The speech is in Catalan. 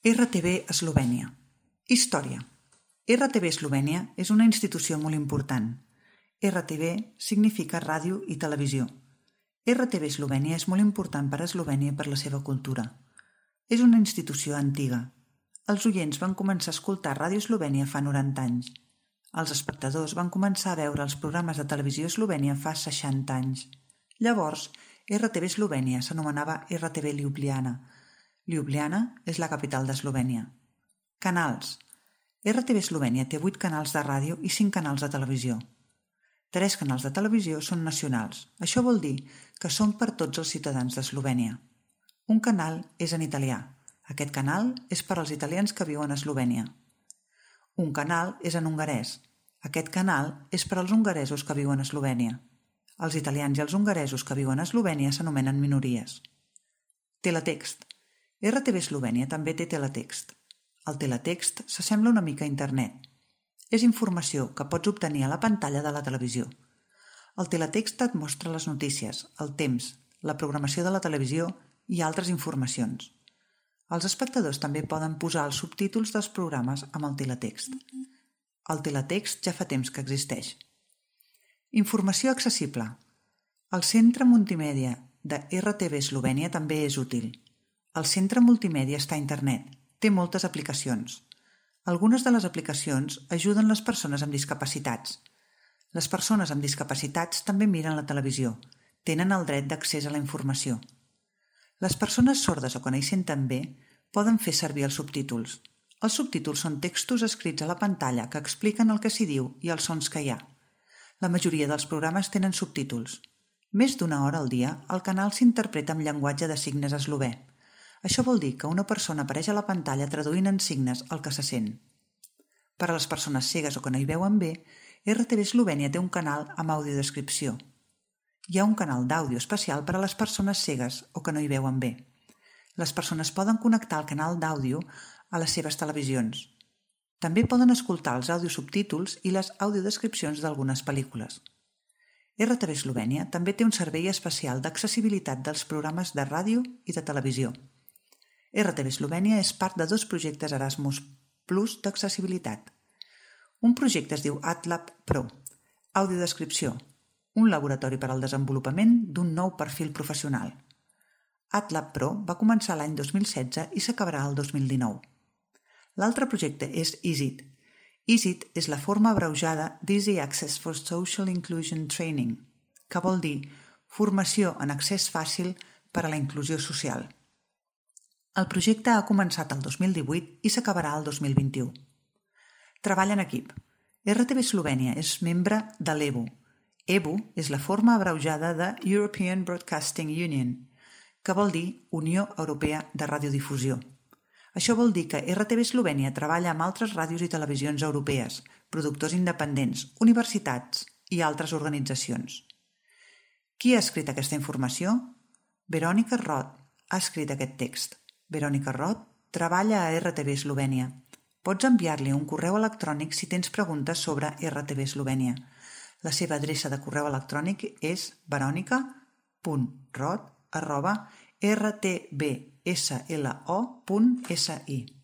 RTV Eslovènia. Història. RTV Eslovènia és una institució molt important. RTV significa ràdio i televisió. RTV Eslovènia és molt important per a Eslovènia i per la seva cultura. És una institució antiga. Els oients van començar a escoltar Ràdio Eslovènia fa 90 anys. Els espectadors van començar a veure els programes de televisió Eslovènia fa 60 anys. Llavors, RTV Eslovènia s'anomenava RTV Ljubljana. Ljubljana és la capital d'Eslovènia. Canals. RTV Eslovènia té 8 canals de ràdio i 5 canals de televisió. 3 canals de televisió són nacionals. Això vol dir que són per tots els ciutadans d'Eslovènia. Un canal és en italià. Aquest canal és per als italians que viuen a Eslovènia. Un canal és en hongarès. Aquest canal és per als hongaresos que viuen a Eslovènia. Els italians i els hongaresos que viuen a Eslovènia s'anomenen minories. Teletext. RTV Eslovènia també té teletext. El teletext s'assembla una mica a internet. És informació que pots obtenir a la pantalla de la televisió. El teletext et mostra les notícies, el temps, la programació de la televisió i altres informacions. Els espectadors també poden posar els subtítols dels programes amb el teletext. El teletext ja fa temps que existeix. Informació accessible. El centre multimèdia de RTV Eslovènia també és útil. El centre multimèdia està a internet. Té moltes aplicacions. Algunes de les aplicacions ajuden les persones amb discapacitats. Les persones amb discapacitats també miren la televisió. Tenen el dret d'accés a la informació. Les persones sordes o que no hi senten bé poden fer servir els subtítols. Els subtítols són textos escrits a la pantalla que expliquen el que s'hi diu i els sons que hi ha. La majoria dels programes tenen subtítols. Més d'una hora al dia, el canal s'interpreta amb llenguatge de signes eslové. Això vol dir que una persona apareix a la pantalla traduint en signes el que se sent. Per a les persones cegues o que no hi veuen bé, RTV Eslovènia té un canal amb audiodescripció. Hi ha un canal d'àudio especial per a les persones cegues o que no hi veuen bé. Les persones poden connectar el canal d'àudio a les seves televisions. També poden escoltar els audiosubtítols i les audiodescripcions d'algunes pel·lícules. RTV Eslovènia també té un servei especial d'accessibilitat dels programes de ràdio i de televisió. RTV Eslovènia és part de 2 projectes Erasmus Plus d'accessibilitat. Un projecte es diu AdLab Pro, audiodescripció, un laboratori per al desenvolupament d'un nou perfil professional. AdLab Pro va començar l'any 2016 i s'acabarà el 2019. L'altre projecte és EASIT. EASIT és la forma abreujada d'Easy Access for Social Inclusion Training, que vol dir formació en accés fàcil per a la inclusió social. El projecte ha començat el 2018 i s'acabarà el 2021. Treball en equip. RTV Eslovènia és membre de l'EBU. EBU és la forma abreujada de European Broadcasting Union, que vol dir Unió Europea de Radiodifusió. Això vol dir que RTV Eslovènia treballa amb altres ràdios i televisions europees, productors independents, universitats i altres organitzacions. Qui ha escrit aquesta informació? Verònica Rot ha escrit aquest text. Verònica Rot treballa a RTV Eslovènia. Pots enviar-li un correu electrònic si tens preguntes sobre RTV Eslovènia. La seva adreça de correu electrònic és veronica.rot@rtbslo.si.